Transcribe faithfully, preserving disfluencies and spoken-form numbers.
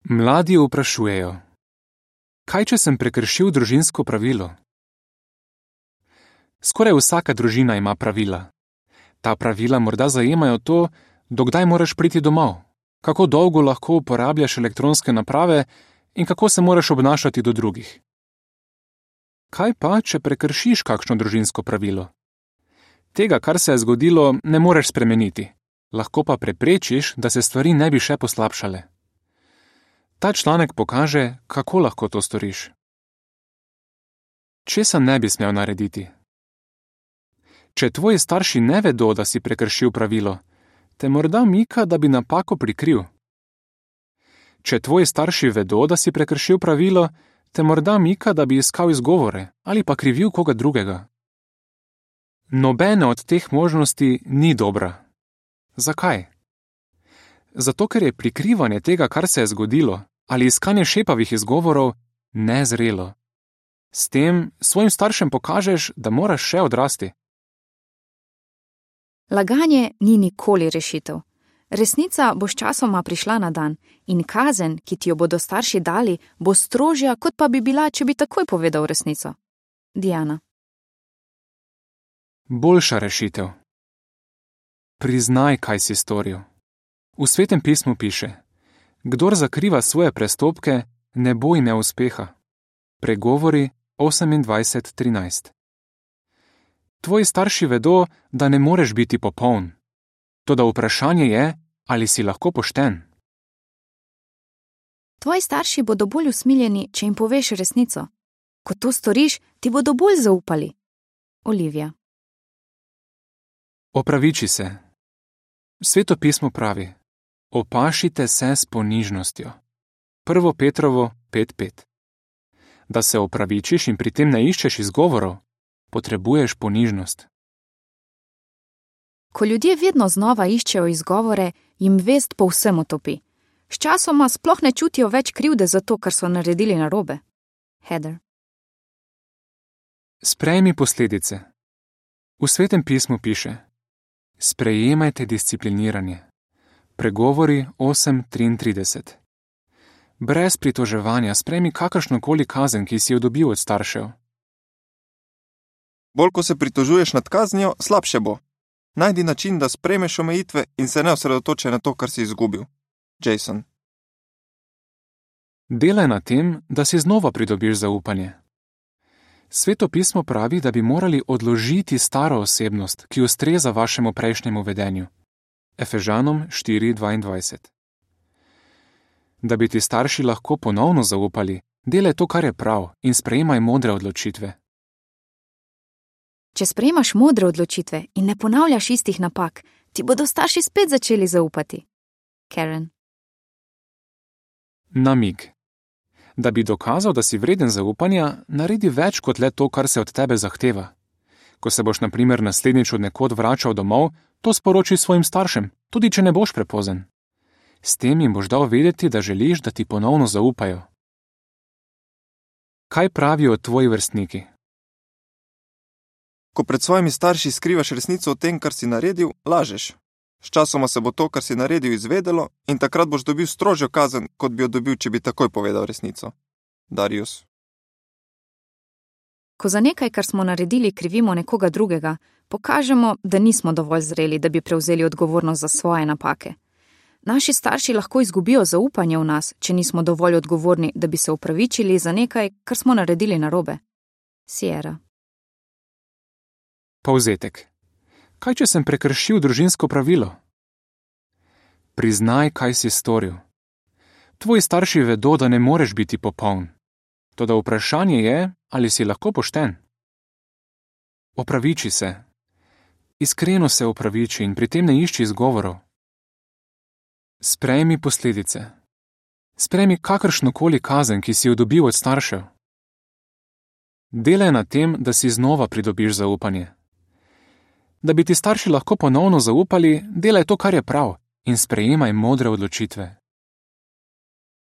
Mladi vprašujejo: kaj, če sem prekršil družinsko pravilo? Skoraj vsaka družina ima pravila. Ta pravila morda zajemajo to, dokdaj moraš priti domov, kako dolgo lahko uporabljaš elektronske naprave in kako se moraš obnašati do drugih. Kaj pa, če prekršiš kakšno družinsko pravilo? Tega, kar se je zgodilo, ne moreš spremeniti, lahko pa preprečiš, da se stvari ne bi še poslabšale. Ta članek pokaže, kako lahko to storiš. Česa ne bi smel narediti? Če tvoji starši ne vedo, da si prekršil pravilo, te morda mika, da bi napako prikril. Če tvoji starši vedo, da si prekršil pravilo, te morda mika, da bi iskal izgovore ali pa krivil koga drugega. Nobena od teh možnosti ni dobra. Zakaj? Zato, ker je prikrivanje tega, kar se je zgodilo, ali iskanje šepavih izgovorov, nezrelo. S tem svojim staršem pokažeš, da moraš še odrasti. Laganje ni nikoli rešitev. Resnica bo sčasoma prišla na dan in kazen, ki ti jo bodo starši dali, bo strožja, kot pa bi bila, če bi takoj povedal resnico. Diana. Boljša rešitev. Priznaj, kaj si storil. V Svetem pismu piše: kdor zakriva svoje prestopke, ne bo imel uspeha. Pregovori osemindvajset trinajst. Tvoji starši vedo, da ne moreš biti popoln. Toda vprašanje je, ali si lahko pošten. Tvoji starši bodo bolj usmiljeni, če jim poveš resnico. Ko to storiš, ti bodo bolj zaupali. Olivija. Opraviči se. Sveto pismo pravi: opašite se s ponižnostjo. Prvo Petrovo pet pet. Da se opravičiš in pri tem ne iščeš izgovorov, potrebuješ ponižnost. Ko ljudje vedno znova iščejo izgovore, jim vest povsem utopi. Sčasoma sploh ne čutijo več krivde za to, kar so naredili narobe. Heather. Sprejmi posledice. V Svetem pismu piše: sprejemajte discipliniranje. Pregovori osem triintrideset. Brez pritoževanja sprejmi kakršnokoli kazen, ki si jo dobil od staršev. Bolj ko se pritožuješ nad kaznijo, slabše bo. Najdi način, da sprejmeš omejitve in se ne osredotočaj na to, kar si izgubil. Jason. Delaj na tem, da si znova pridobiš zaupanje. Sveto pismo pravi, da bi morali odložiti staro osebnost, ki ustreza vašemu prejšnjemu vedenju. Efežanom štiri dvaindvajset. Da bi ti starši lahko ponovno zaupali, delaj to, kar je prav, in sprejemaj modre odločitve. Če sprejmaš modre odločitve in ne ponavljaš istih napak, ti bodo starši spet začeli zaupati. Karen. Namig. Da bi dokazal, da si vreden zaupanja, naredi več kot le to, kar se od tebe zahteva. Ko se boš na primer naslednjič od nekod vračal domov, to sporoči svojim staršem, tudi če ne boš prepozen. S tem jim boš dal vedeti, da želiš, da ti ponovno zaupajo. Kaj pravijo tvoji vrstniki? Ko pred svojimi starši skrivaš resnico o tem, kar si naredil, lažeš. Sčasoma se bo to, kar si naredil, izvedelo in takrat boš dobil strožjo kazen, kot bi jo dobil, če bi takoj povedal resnico. Darius. Ko za nekaj, kar smo naredili, krivimo nekoga drugega, pokažemo, da nismo dovolj zreli, da bi prevzeli odgovornost za svoje napake. Naši starši lahko izgubijo zaupanje v nas, če nismo dovolj odgovorni, da bi se opravičili za nekaj, kar smo naredili narobe. Sierra. Povzetek. Kaj, če sem prekršil družinsko pravilo? Priznaj, kaj si storil. Tvoji starši vedo, da ne moreš biti popoln. Toda vprašanje je, ali si lahko pošten. Opraviči se. Iskreno se opraviči in pri tem ne išči izgovorov. Sprejmi posledice. Sprejmi kakršnokoli kazen, ki si jo dobil od staršev. Delaj na tem, da si znova pridobiš zaupanje. Da bi ti starši lahko ponovno zaupali, delaj to, kar je prav, in sprejemaj modre odločitve.